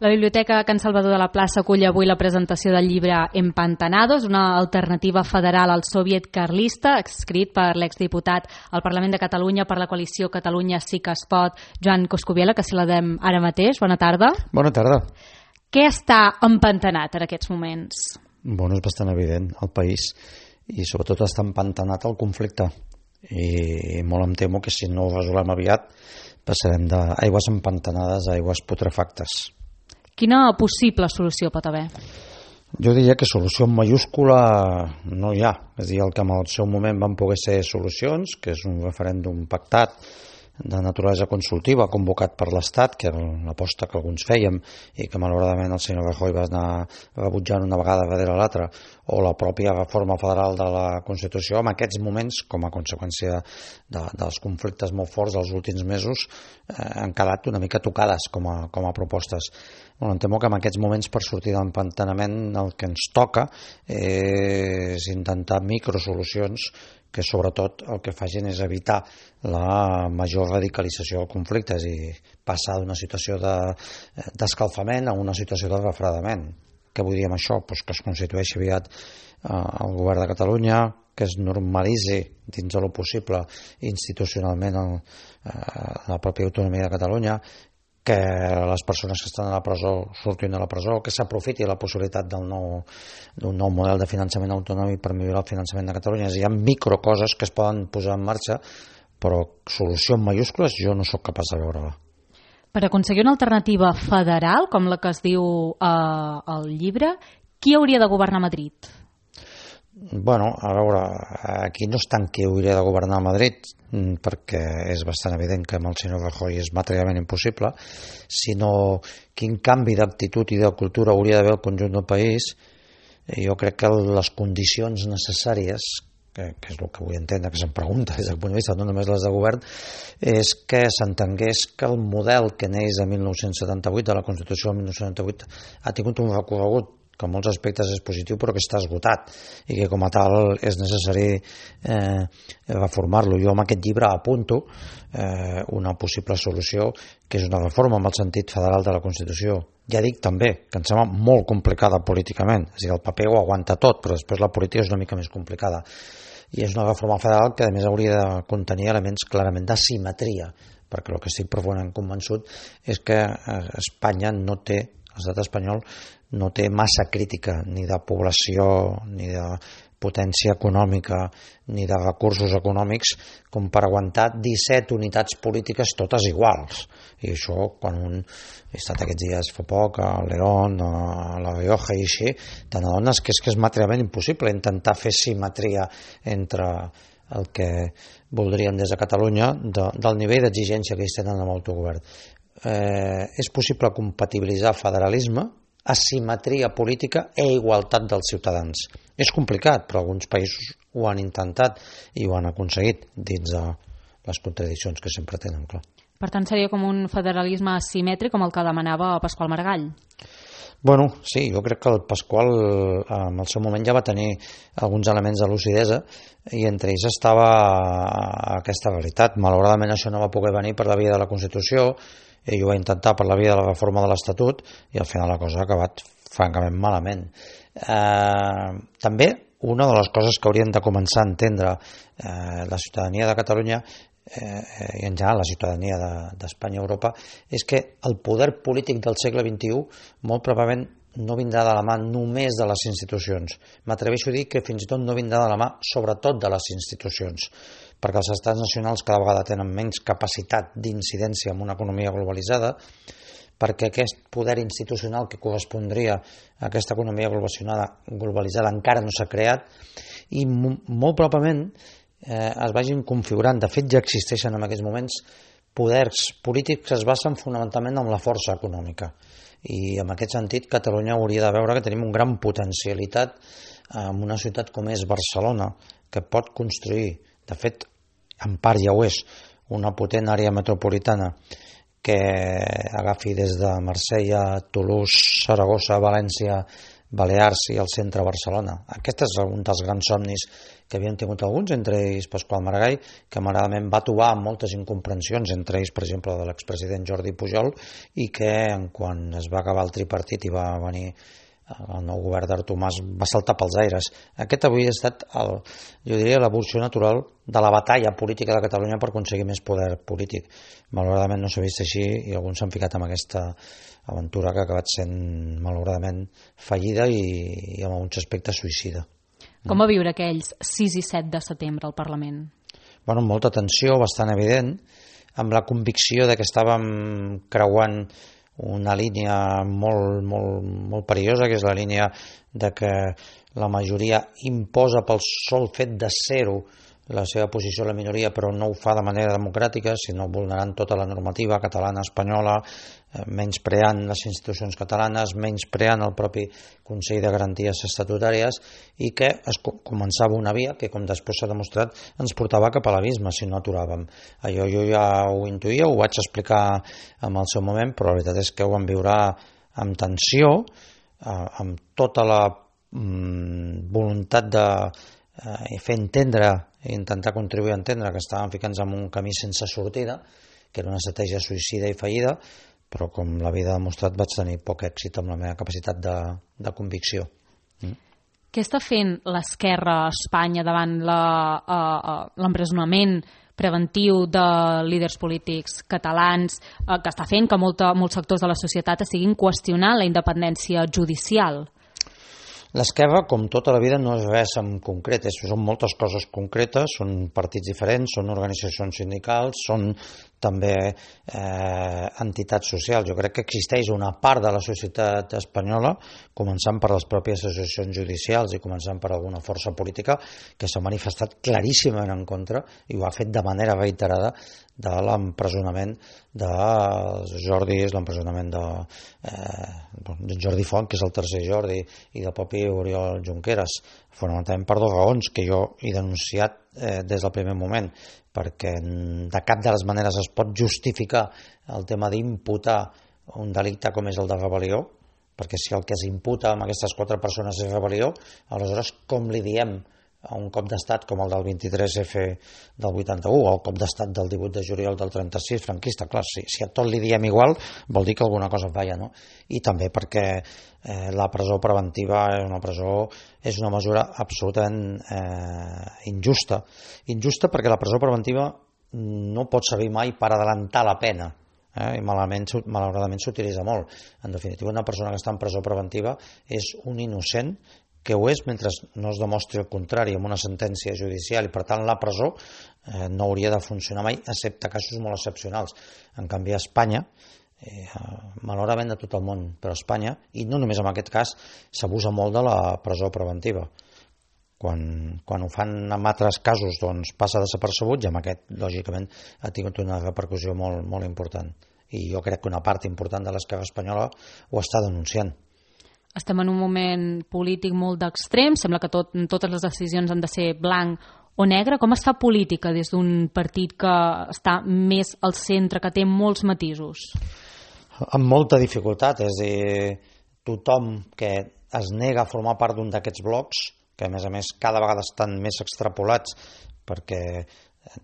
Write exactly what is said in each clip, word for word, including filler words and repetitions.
La Biblioteca Can Salvador de la Plaça acull avui la presentació del llibre Empantanados, una alternativa federal al soviet carlista, escrit per l'exdiputat al Parlament de Catalunya per la coalició Catalunya Sí que es pot, Joan Coscubiela, que saludem ara mateix. Bona tarda. Bona tarda. Què està empantanat en aquests moments? Bueno, és bastant evident el país i sobretot està empantanat el conflicte i molt em temo que si no ho resolem aviat passarem d'aigües empantanades a aigües putrefactes. Quina possible solució pot haver? Jo diria que solució en mayúscula no hi ha. És a dir, el que en el seu moment van poder ser solucions, que és un referèndum pactat de naturalesa consultiva convocat per l'Estat, que era l'aposta que alguns fèiem i que malauradament el senyor Rajoy va anar rebutjant una vegada darrere l'altra, o la pròpia reforma federal de la Constitució, en aquests moments, com a conseqüència de, dels conflictes molt forts dels últims mesos, eh, han quedat una mica tocades com a, com a propostes. Bueno, em temo que en aquests moments, per sortir de l'empantanament, el que ens toca és intentar microsolucions que sobretot el que facin és evitar la major radicalització del conflicte, és a dir, passar d'una situació d'escalfament a una situació de refredament. Què vull dir amb això? Pues que es constitueixi aviat eh, el govern de Catalunya, que es normalitzi dins de lo possible institucionalment el, eh, la pròpia autonomia de Catalunya, que les persones que estan a la presó surtin de la presó, que s'aprofiti la possibilitat del nou, d'un nou model de finançament autonòmic per millorar el finançament de Catalunya. És a dir, hi ha microcoses que es poden posar en marxa, però solució en mayúscules jo no sóc capaç de veure-la. Per aconseguir una alternativa federal, com la que es diu eh, al llibre, qui hauria de governar Madrid? Bueno, a veure, aquí no és tant qui hauria de governar a Madrid, perquè és bastant evident que amb el senyor Rajoy és materialment impossible, sinó quin canvi d'actitud i de cultura hauria d'haver al conjunt del país. Jo crec que les condicions necessàries, que, que és el que vull entendre, que se'm pregunta des del punt de vista, no només les de govern, és que s'entengués que el model que neix de mil nou-cents setanta-vuit, de la Constitució del mil nou-cents setanta-vuit, ha tingut un recorregut que en molts aspectes és positiu però que està esgotat i que com a tal és necessari eh, reformar-lo. Jo amb aquest llibre apunto eh, una possible solució que és una reforma amb el sentit federal de la Constitució. Ja dic també que em sembla molt complicada políticament, és a dir, el paper ho aguanta tot, però després la política és una mica més complicada. I és una reforma federal que a més hauria de contenir elements clarament d'asimetria, perquè el que estic profundament convençut és que Espanya no té, l'estat espanyol no té massa crítica ni de població, ni de potència econòmica, ni de recursos econòmics com per aguantar disset unitats polítiques totes iguals. I això, quan un he estat aquests dies fa poc a León, a La Rioja i així, te n'adones que és que és materialment impossible intentar fer simetria entre el que voldríem des de Catalunya de, del nivell d'exigència que ells tenen amb l'autogovern. Eh, és possible compatibilitzar federalisme, asimetria política i igualtat dels ciutadans. És complicat, però alguns països ho han intentat i ho han aconseguit dins de les contradiccions que sempre tenen, clar. Per tant, seria com un federalisme asimètric com el que demanava Pasqual Maragall? Bueno, sí, jo crec que el Pasqual en el seu moment ja va tenir alguns elements de lucidesa i entre ells estava aquesta realitat. Malauradament això no va poder venir per la via de la Constitució, ell ho va intentar per la via de la reforma de l'Estatut i al final la cosa ha acabat francament malament. Eh, també una de les coses que haurien de començar a entendre eh, la ciutadania de Catalunya eh, i en general la ciutadania d'Espanya i Europa és que el poder polític del segle vint-i-u molt probablement no vindrà de la mà només de les institucions. M'atreveixo a dir que fins i tot no vindrà de la mà sobretot de les institucions, perquè els estats nacionals cada vegada tenen menys capacitat d'incidència en una economia globalitzada, perquè aquest poder institucional que correspondria a aquesta economia globalitzada encara no s'ha creat i molt probablement eh, es vagin configurant, de fet ja existeixen en aquests moments poders polítics que es basen fonamentalment en la força econòmica i en aquest sentit Catalunya hauria de veure que tenim una gran potencialitat en una ciutat com és Barcelona, que pot construir, de fet en part ja ho és, una potent àrea metropolitana que agafi des de Marsella, Toulouse, Saragossa, València, Balears i el centre de Barcelona. Aquest és un dels grans somnis que havien tingut alguns, entre ells Pasqual Maragall, que malauradament va trobar moltes incomprensions, entre ells, per exemple, de l'expresident Jordi Pujol, i que quan es va acabar el tripartit i va venir el nou govern d'Artur Mas, va saltar pels aires. Aquest avui ha estat, el, jo diria, l'evolució natural de la batalla política de Catalunya per aconseguir més poder polític. Malauradament no s'ha vist així i alguns s'han ficat en aquesta aventura que ha acabat sent, malauradament, fallida i, i en alguns aspectes suïcida. Com va viure aquells sis i set de setembre al Parlament? Bueno, amb molta tensió, bastant evident, amb la convicció de que estàvem creuant una línia molt, molt, molt perillosa, que és la línia de que la majoria imposa pel sol fet de ser-ho la seva posició a la minoria, però no ho fa de manera democràtica, sinó vulnerant tota la normativa catalana, espanyola, menyspreant les institucions catalanes, menyspreant el propi Consell de Garanties Estatutàries, i que es començava una via que, com després s'ha demostrat, ens portava cap a l'abisme si no aturàvem. Allò jo ja ho intuïa, ho vaig explicar en el seu moment, però la veritat és que ho vam viure amb tensió, amb tota la voluntat de fer entendre i intentar contribuir a entendre que estàvem ficant-nos en un camí sense sortida, que era una estratègia suïcida i fallida, però com la vida ha demostrat vaig tenir poc èxit amb la meva capacitat de, de convicció. Mm. Què està fent l'esquerra a Espanya davant l'empresonament preventiu de líders polítics catalans, eh, que està fent que molta, molts sectors de la societat estiguin qüestionant la independència judicial? L'esquerra, com tota la vida, no és res en concret, són moltes coses concretes, són partits diferents, són organitzacions sindicals, són també eh, entitats socials. Jo crec que existeix una part de la societat espanyola, començant per les pròpies associacions judicials i començant per alguna força política, que s'ha manifestat claríssimament en contra i ho ha fet de manera reiterada de l'empresonament de Jordi, l'empresonament de, eh, de Jordi Font, que és el tercer Jordi, i del propi Oriol Junqueras, fonamentalment per dues raons que jo he denunciat eh, des del primer moment, perquè de cap de les maneres es pot justificar el tema d'imputar un delicte com és el de rebel·lió, perquè si el que es imputa amb aquestes quatre persones és rebel·lió, aleshores com li diem a un cop d'estat com el del vint-i-tres efe del vuitanta-u o el cop d'estat del divuit de juliol del trenta-sis franquista? Clar, si, si a tot li diem igual vol dir que alguna cosa falla, no? I també perquè eh, la presó preventiva és una presó és una mesura absolutament eh, injusta injusta perquè la presó preventiva no pot servir mai per adelantar la pena, eh? I malament, malauradament s'utilitza molt. En definitiva, una persona que està en presó preventiva és un innocent que ho és mentre no es demostri el contrari amb una sentència judicial, i per tant la presó eh, no hauria de funcionar mai, excepte casos molt excepcionals. En canvi a Espanya, eh, malauradament de tot el món, però a Espanya, i no només en aquest cas, s'abusa molt de la presó preventiva. Quan, quan ho fan en altres casos doncs passa desapercebut, i amb aquest lògicament ha tingut una repercussió molt, molt important, i jo crec que una part important de l'esquerra espanyola ho està denunciant. Estem en un moment polític molt d'extrem, sembla que tot, totes les decisions han de ser blanc o negre. Com es fa política des d'un partit que està més al centre, que té molts matisos? Amb molta dificultat, és a dir, tothom que es nega a formar part d'un d'aquests blocs, que a més a més cada vegada estan més extrapolats perquè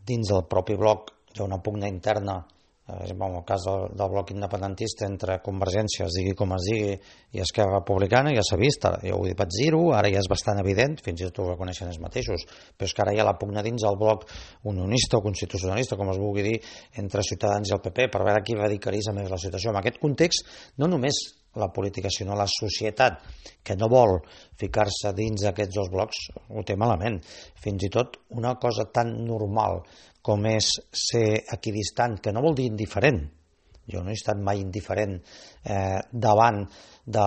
dins del propi bloc hi ha una pugna interna, en el cas del, del bloc independentista entre Convergència, es digui com es digui, i Esquerra Republicana, ja s'ha vist, jo ho vaig dir-ho, ara ja és bastant evident, fins i tot ho reconeixen ells mateixos, però és que ara hi ha la pugna dins del bloc unionista o constitucionalista, com es vulgui dir, entre Ciutadans i el pe pe, per veure qui radicalitza més la situació. En aquest context, no només la política, sinó la societat, que no vol ficar-se dins d'aquests dos blocs, ho té malament. Fins i tot una cosa tan normal com és ser equidistant, que no vol dir indiferent. Jo no he estat mai indiferent eh, davant de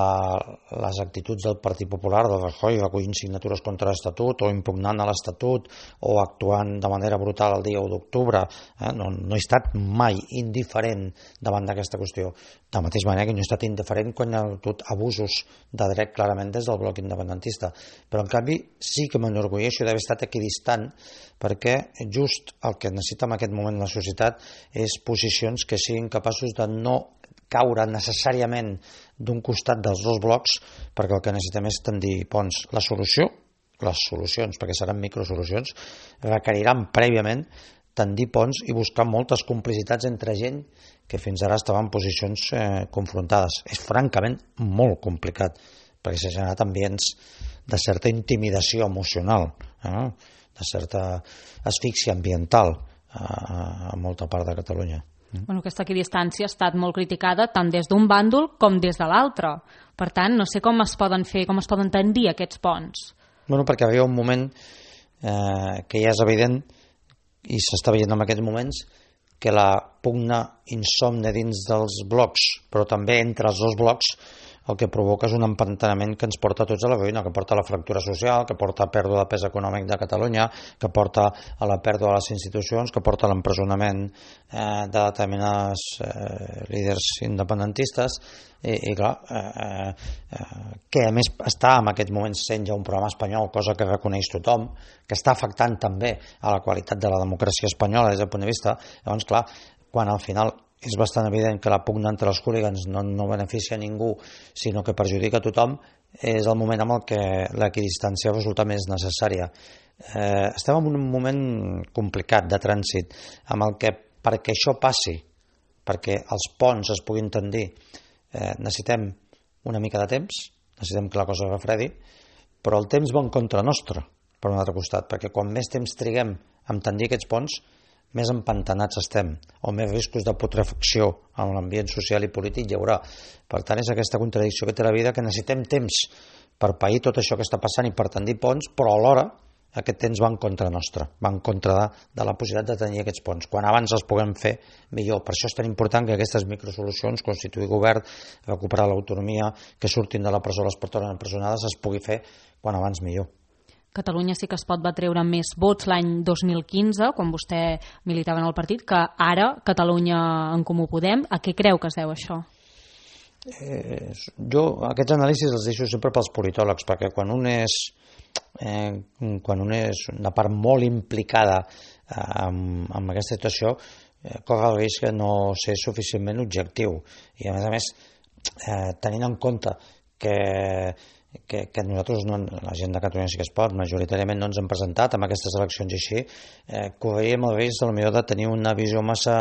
les actituds del Partit Popular, del Rajoy, recollint signatures contra l'Estatut o impugnant a l'Estatut o actuant de manera brutal el dia u d'octubre. Eh? No, no he estat mai indiferent davant d'aquesta qüestió. De la mateixa manera que no he estat indiferent quan hi ha hagut abusos de dret clarament des del bloc independentista. Però en canvi sí que m'enorgulleixo d'haver estat equidistant, perquè just el que necessita en aquest moment la societat és posicions que siguin capaços de no caure necessàriament d'un costat dels dos blocs, perquè el que necessitem és tendir ponts. La solució, les solucions, perquè seran microsolucions, requeriran prèviament tendir ponts i buscar moltes complicitats entre gent que fins ara estava en posicions eh, confrontades. És francament molt complicat, perquè s'ha generat ambients de certa intimidació emocional, eh? de certa asfíxia ambiental eh, a molta part de Catalunya. Bueno, aquesta equidistància ha estat molt criticada tant des d'un bàndol com des de l'altre. Per tant, no sé com es poden fer, com es poden tendir aquests ponts. Bueno, perquè arriba un moment eh, que ja és evident i s'està veient en aquests moments que la pugna insomne dins dels blocs, però també entre els dos blocs, el que provoca és un empantanament que ens porta tots a la ruïna, que porta a la fractura social, que porta a pèrdua de pes econòmic de Catalunya, que porta a la pèrdua de les institucions, que porta a l'empresonament eh, de determinats eh, líders independentistes, i, i clar, eh, eh, que a més està en aquest moment sent ja un programa espanyol, cosa que reconeix tothom, que està afectant també a la qualitat de la democràcia espanyola des del punt de vista. Llavors, clar, quan al final és bastant evident que la pugna entre els hooligans no, no beneficia a ningú, sinó que perjudica a tothom, és el moment en el que l'equidistància resulta més necessària. Eh, estem en un moment complicat de trànsit, amb el que perquè això passi, perquè els ponts es puguin tendir, eh, necessitem una mica de temps, necessitem que la cosa refredi, però el temps va en contra nostra, per un altre costat, perquè quan més temps triguem en tendir aquests ponts, més empantanats estem, o més riscos de putrefacció en l'ambient social i polític hi haurà. Per tant, és aquesta contradicció que té la vida, que necessitem temps per pair tot això que està passant i per tendir ponts, però alhora aquest temps va en contra nostra, va en contra de, de la possibilitat de tenir aquests ponts. Quan abans els puguem fer, millor. Per això és tan important que aquestes microsolucions, constituir govern, recuperar l'autonomia, que surtin de la presó les persones empresonades, es pugui fer quan abans millor. Catalunya sí que es pot va treure més vots l'any dos mil quinze, quan vostè militava en el partit, que ara Catalunya en Comú Podem. A què creu que es deu això? Eh, jo aquests anàlisis els deixo sempre pels politòlegs, perquè quan un és eh, quan un és una part molt implicada eh, amb, amb aquesta situació, eh, corre el risc de no ser suficientment objectiu, i a més a més eh, tenint en compte que Que, que nosaltres, no, la gent de Catalunya sí que es pot, majoritàriament no ens hem presentat amb aquestes eleccions i així, eh, correríem el risc potser de tenir una visió massa,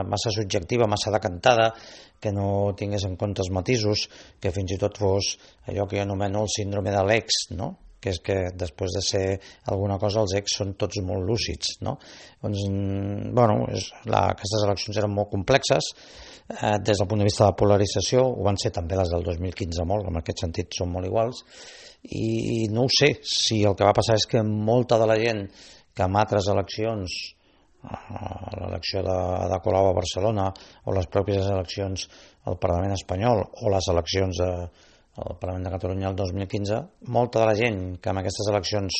massa subjectiva, massa decantada, que no tingués en compte els matisos, que fins i tot fos allò que jo anomeno el síndrome de l'ex, no? Que és que després de ser alguna cosa els ex són tots molt lúcids, no? Doncs, bueno, és, la, aquestes eleccions eren molt complexes, eh, des del punt de vista de la polarització, ho van ser també les del dos mil quinze molt, en aquest sentit són molt iguals, i no ho sé, si el que va passar és que molta de la gent que en altres eleccions, l'elecció de, de Colau a Barcelona, o les pròpies eleccions al Parlament espanyol, o les eleccions de al Parlament de Catalunya el dos mil quinze, molta de la gent que en aquestes eleccions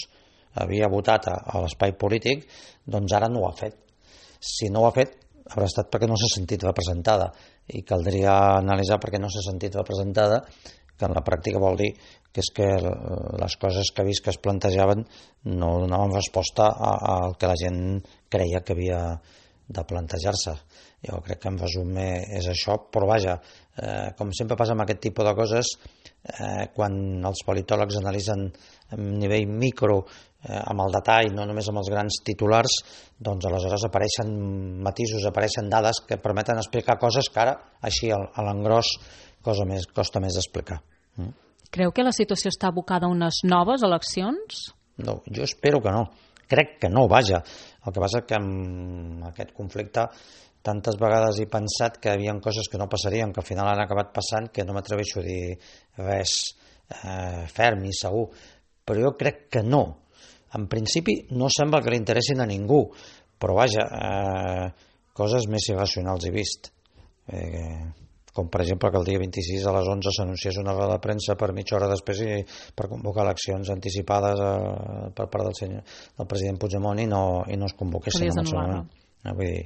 havia votat a, a l'espai polític, doncs ara no ho ha fet. Si no ho ha fet, haurà estat perquè no s'ha sentit representada, i caldria analitzar perquè no s'ha sentit representada, que en la pràctica vol dir que és que les coses que ha vist que es plantejaven no donaven resposta al que la gent creia que havia de plantejar-se. Jo crec que en resum és això, però vaja, eh, com sempre passa amb aquest tipus de coses, eh, quan els politòlegs analitzen a nivell micro, eh, amb el detall, no només amb els grans titulars, doncs aleshores apareixen matisos, apareixen dades que permeten explicar coses que ara, així a l'engròs, cosa més, costa més d'explicar. Mm? Creu que la situació està abocada a unes noves eleccions? No, jo espero que no. Crec que no, vaja. El que passa és que amb aquest conflicte tantes vegades he pensat que hi havia coses que no passarien, que al final han acabat passant, que no m'atreveixo a dir res eh, ferm i segur. Però jo crec que no. En principi no sembla que li interessin a ningú, però vaja, eh, coses més irracionals he vist. Eh, com per exemple que el dia vint-i-sis a les onze s'anunciés una roda de premsa per mitja hora després i per convocar eleccions anticipades eh, per part del, senyor, del president Puigdemont i no, i no es convoquessin en el seu moment. Eh, vull dir,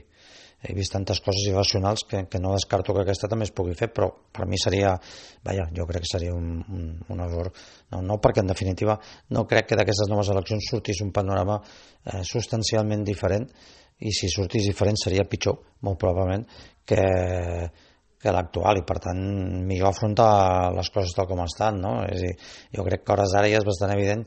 he vist tantes coses irracionals que, que no descarto que aquesta també es pugui fer, però per mi seria, vaja, jo crec que seria un, un, un error. No, no, perquè en definitiva no crec que d'aquestes noves eleccions sortís un panorama eh, substancialment diferent, i si sortís diferent seria pitjor, molt probablement, que que l'actual, i per tant millor afrontar les coses tal com estan, no? És a dir, jo crec que a hores d'ara ja és bastant evident,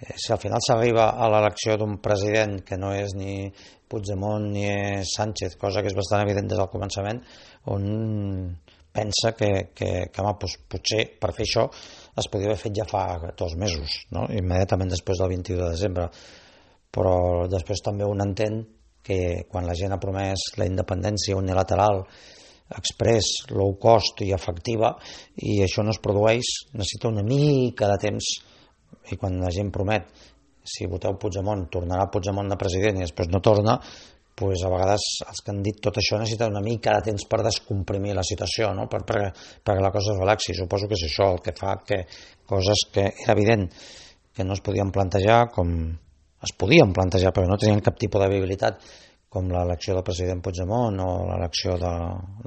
eh, si al final s'arriba a l'elecció d'un president que no és ni Puigdemont ni és Sánchez, cosa que és bastant evident des del començament, on pensa que, que, que home, doncs, potser per fer això es podria haver fet ja fa dos mesos, no? Immediatament després del vint-i-u de desembre, però després també un entén que quan la gent ha promès la independència unilateral, express, low cost i efectiva, i això no es produeix, necessita una mica de temps, i quan la gent promet, si voteu Puigdemont, tornarà Puigdemont de president i després no torna, pues a vegades els que han dit tot això necessiten una mica de temps per descomprimir la situació, no? per, per, perquè la cosa es relaxi. Suposo que és això el que fa que coses que era evident que no es podien plantejar, com es podien plantejar però no tenien cap tipus de viabilitat, com l'elecció del president Puigdemont o l'elecció de,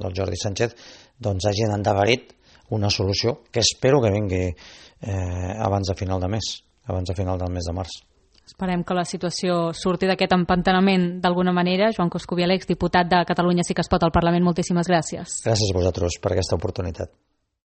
del Jordi Sánchez, doncs hagin endegarit una solució que espero que vingui eh, abans de final de mes, abans de final del mes de març. Esperem que la situació surti d'aquest empantanament d'alguna manera. Joan Coscubiela, exdiputat de Catalunya Sí que es pot al Parlament, moltíssimes gràcies. Gràcies a vosaltres per aquesta oportunitat.